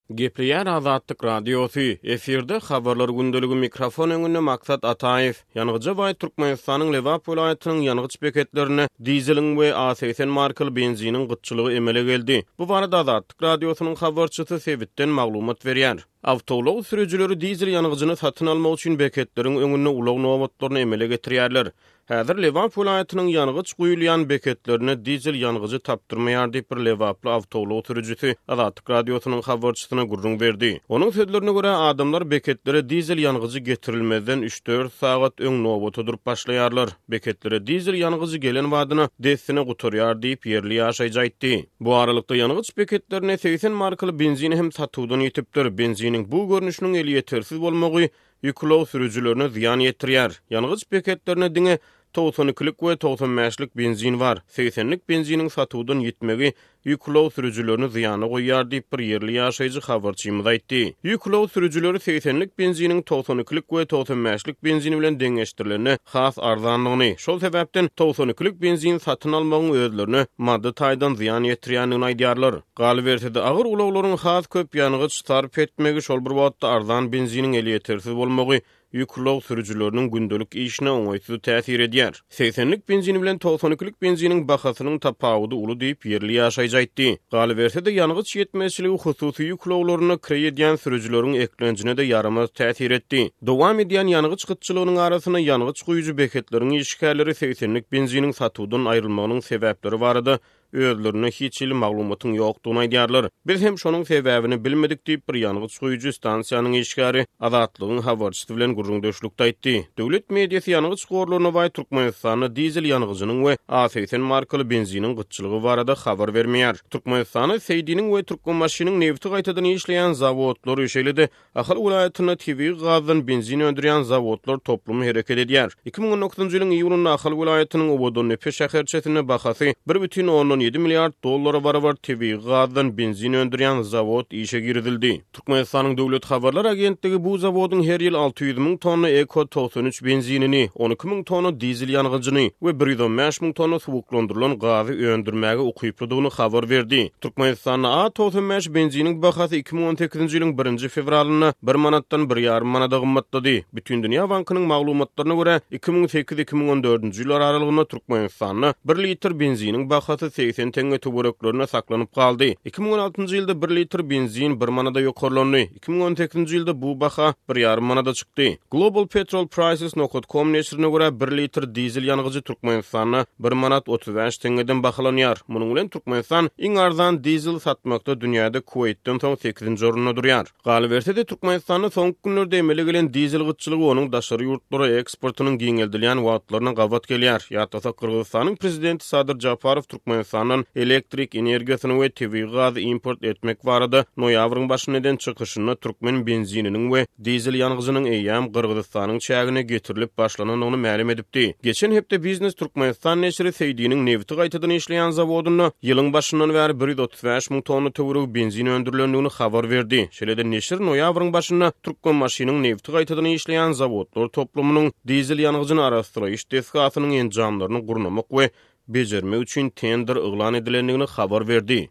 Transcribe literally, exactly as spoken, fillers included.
Gepleýär Azatlyk Radiosy, efirde Habarlar gündeligi, mikrofon öňünde Maksat Ataýew. Ýangyja baý Türkmenistanyň Lebap welaýatynyň ýangyç beketlerinde dizeliň we A segsen markaly benziniň gytçylygy emele geldi. Bu barada Azatlyk Radiosynyň habarçysy sebitden maglumat berýär. Awtoulag sürüjileri dizel ýangyjyny satyn almak üçin beketleriň öňünde ulag nobatlaryny emele getirýärler. Häzir Lebap welaýatynyň ýangyç guýulýan beketlerinde dizel ýangyjy tapdyrmaýar diýip, bir lebaply awtoulag sürüjisi Azatlyk Radiosynyň habarçysyna gürrüň berdi. Onuň sözlerine görä, adamlar beketlere dizel ýangyjy getirilmezden üç-dört sagat öň nobata durup başlaýarlar. Beketlere dizel ýangyjy gelen badyna dessine gutarýar diýip, ýerli ýaşaýjy aýtdy. Bu aralykda ýangyç beketlerinde segsen markaly benzin hem satuwdan ýitipdir. Benziniň bu görnüşiniň elýetersiz bolmagy ýük ulag sürüjilerine zyýan ýetirýär. Ýangyç beketlerinde diňe togsan ikilik we togsan bäşlik benzin bar. Segsenlik benziniň satuwdan ýitmegi ýük ulag sürüjilerini zyýana goýýar diýip, bir ýerli ýaşaýjy habarçymyz aýtdy. Ýük ulag sürüjileri segsenlik benziniň togsan ikilik we togsan bäşlik benzin bilen deňeşdirilende has arzanlygyny, şol sebäpden togsan ikilik benzin satyn almagyň özlerine maddy taýdan zyýan ýetirýändigini aýdýarlar. Galyberse-de, agyr ulaglaryň has köp ýangyç sarp etmegi, şol bir wagtda arzan benziniň elýetersiz bolmagy ýük ulag sürüjileriniň gündelik işine oňaýsyz täsir edýär. Segsenlik benzin bilen togsan ikilik benziniň bahasynyň tapawudy uly diýip, ýerli ýaşaýjy aýtdy. Galyberse-de, ýangyç ýetmezçiligi hususy ýük ulaglaryna kireý edýän sürüjileriň eklenjine-de ýaramaz täsir etdi. Dowam edýän ýangyç gytçylygynyň arasynda ýangyç guýujy beketleriň işgärleri segsenlik benziniň satuwdan aýrylmagynyň sebäpleri barada özlerinde hiç hili maglumatyň ýokdugyny aýdýarlar. Biz hem şonuň sebäbini bilmedik diýip, bir ýangyç guýujy stansiýanyň işgäri Azatlygyň habarçysy bilen gürrüňdeşlikde aýtdy. Döwlet mediasy ýangyç gorlaryna baý Türkmenistanda dizel ýangyjynyň we A segsen markaly benziniň gytçylygy barada habar bermeýär. Türkmenistanda Seýdiniň we Türkmenbaşynyň nebti gaýtadan işleýän zawodlary, şeýle-de Ahal welaýatynda tebigy gazdan benzin öndürýän zawodlar toplumy hereket edýär. Iki müň on dokuzynjy ýylyň iýunynda Ahal welaýatynyň Owadandepe şäherçesinde bahasy bir bütin ondan ýedi milliard dollara barabar tebigy gazdan benzin öndürýän zawod işe girizildi. Türkmenistanyň Döwlet habarlar agentligi bu zawodyň her ýyl alty ýüz müň tonna Eko togsan üç benzinini, on iki müň tonna dizel ýangyjyny we bir ýüz on bäş müň tonna suwuklandyrylan gazy öndürmäge ukyplydygyny habar berdi. Türkmenistanda A togsan bäş benziniň bahasy iki müň on sekizinji ýylyň birinji fewralynda bir manatdan bir ýarym manada gymmatlady. Bütindünýä bankynyň maglumatlaryna görä, iki müň sekiz iki müň on dördünji ýyllar aralygynda Türkmenistanda bir litr benziniň bahasy segsen teňňe töwereklerinde saklanyp galdy. Iki müň on altynjy ýylda bir litr benzin bir manada ýokarlandy. Iki müň on sekizinji ýylda bu baha bir ýarym manada çykdy. Global Petrol Prices nokta com neşirine görä, bir litr dizel ýangyjy Türkmenistanda bir manat otuz bäş teňňeden bahalanýar. Munuň bilen Türkmenistan iň arzan dizel satmakda dünýäde Kuweýtden soň sekizinji orunda durýar. Galyberse-de, Türkmenistanda soňky günlerde emele gelen dizel gytçylygy onuň daşary ýurtlara eksportynyň giňeldilýän wagtlaryna gabat gelýär. Ýatlasak, Gyrgyzystanyň prezidenti Sadyr Japarow Türkmenistandan elektrik energiýasyny we tebigy gazy import etmek barada noýabryň başynda eden çykyşynda türkmen benzininiň we dizel ýangyjynyň eýýäm Gyrgyzystanyň çägine getirilip başlanandygyny mälim edipdi. Geçen hepde Biznes Türkmenistan neşiri Seýdiniň nebti gaýtadan işleýän zawodynda ýylyň başyndan bäri bir ýüz otuz bäş müň tonna töweregi benzin öndürilendigini habar berdi. Şeýle-de neşir noýabryň başynda Türkmenbaşynyň nebti gaýtadan işleýän zawodlar toplumynyň dizel ýangyjyny arassalaýyş desgasynyň enjamlaryny gurnamak we bejermek üçin tender yglan edilendigini habar berdi.